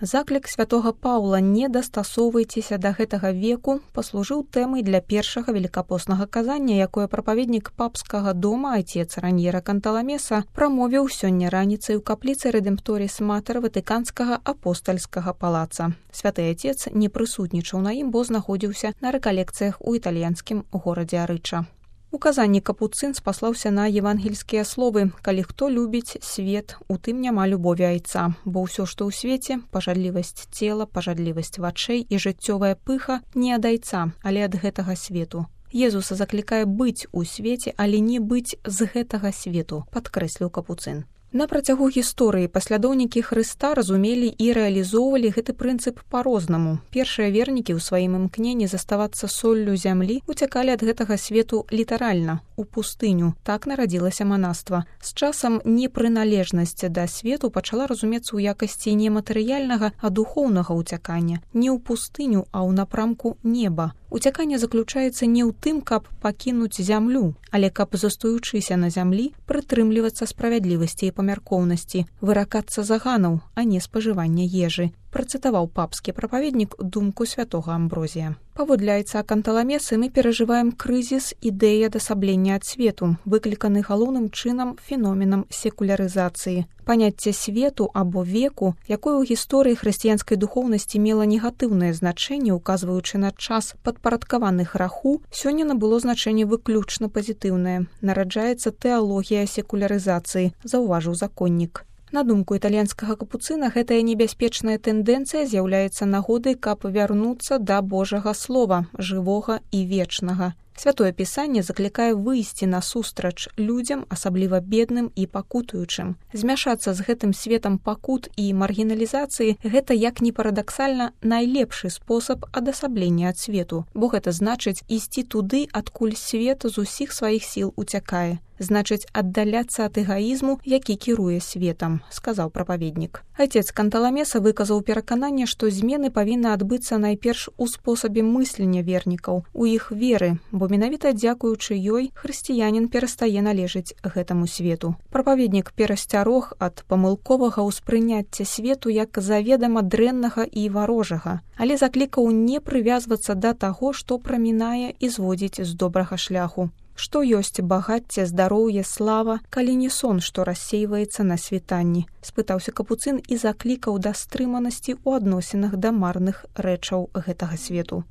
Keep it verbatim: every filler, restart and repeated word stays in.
Заклік святога Паўла «Не дастасоўвайцеся да гэтага веку» паслужыў тэмай для першага велікапоснага казання, якое прапаведнік папскага дома айцец Раньера Канталамеса прамовіў сёння раніцай у капліцы Рэдэмпторіс Матэр Ватыканскага апостальскага палаца. Святы айцец не прысутнічаў на ім, бо знаходзіўся на рэкалекцыях у італьянскім горадзе Арыча. У казанні капуцын спаслаўся на евангельскія словы: «Калі хто любіць свет, у тым няма любові айца, бо ўсё, што ў свеце, пажадлівасць цела, пажадлівасць вачэй і жыццёвая пыха не ад айца, але ад гэтага свету». Езуса заклікае быць у свеце, але не быць з гэтага свету, падкрэсліў капуцын. На працягу гісторыі паслядоўнікі Хрыста разумелі і рэалізоўвалі гэты прынцып па-рознаму. Першыя вернікі ў сваім імкненні заставацца соллю зямлі уцякалі ад гэтага свету літаральна, у пустыню. Так нарадзілася манаства. З часам непрыналежнасць да свету пачала разумецца ў якасці не матэрыяльнага, а духоўнага ўцякання. Не ў пустыню, а ў напрамку неба. Уцяканне заключаецца не ў тым, каб пакінуць зямлю, але каб, застаючыся на зямлі, прытрымлівацца справядлівасці і памяркоўнасці, выракацца заганаў, а не спажывання ежы, працытаваў папскі прапаведнік думку святога Амброзія. Паводле айца Канталамесы мы перажываем крызіс ідэі адасаблення ад свету, выкліканы галоўным чынам феноменам секулярызацыі. Паняцце свету або веку, якое ў гісторыі хрысціянскай духоўнасці мела негатыўнае значэнне, указваючы на час падпарадкаваны граху, сёння набыло значэнне выключна пазітыўнае. Нараджаецца тэалогія секулярызацыі, заўважыў законнік. На думку італьянскага капуцына, гэтая небяспечная тэндэнцыя з'яўляецца нагодай, каб вярнуцца да Божага слова, жывога і вечнага. Святое пісанне заклікае выйсці насустрач людзям, асабліва бедным і пакутуючым. Змяшацца з гэтым светам пакут і маргіналізацыі – гэта, як ні парадаксальна, найлепшы спосаб адасаблення ад свету, бо гэта значыць ісці туды, адкуль свет з усіх сваіх сіл уцякае. Значыць, аддаляцца ад эгаізму, які кіруе светам, сказаў прапаведнік. Айцец Канталамеса выказаў перакананне, што змены павінны адбыцца найперш у спосабе мыслення вернікаў, у іх веры, бо менавіта дзякуючы ёй хрысціянін перастае належыць гэтаму свету. Прапаведнік перасцярог ад памылковага ўспрыняцця свету як заведама дрэннага і варожага, але заклікаў не прывязвацца да таго, што прамінае і зводзіць з добрага шляху. Што ёсць багацце, здароўе, слава, калі не сон, што рассейваецца на світанні? Спытаўся капуцын і заклікаў да стрыманасці ў адносінах да марных рэчаў гэтага свету.